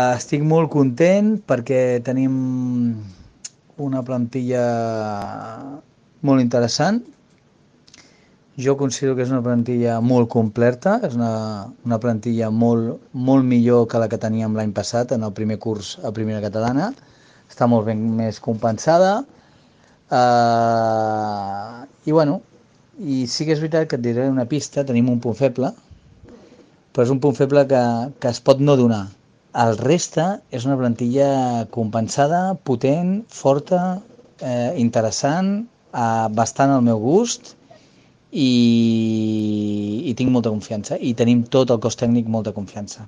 Estic molt content perquè tenim una plantilla molt interessant. Jo considero que és una plantilla molt completa, és una plantilla molt millor que la que teníem l'any passat en el primer curs a Primera Catalana. Està molt ben més compensada. I bueno, i sí que és veritat que et diré una pista, tenim un punt feble, però és un punt feble que es pot no donar. El reste és una plantilla compensada, potent, forta, interessant, bastant al meu gust i tinc molta confiança. I tenim tot el cos tècnic molta confiança.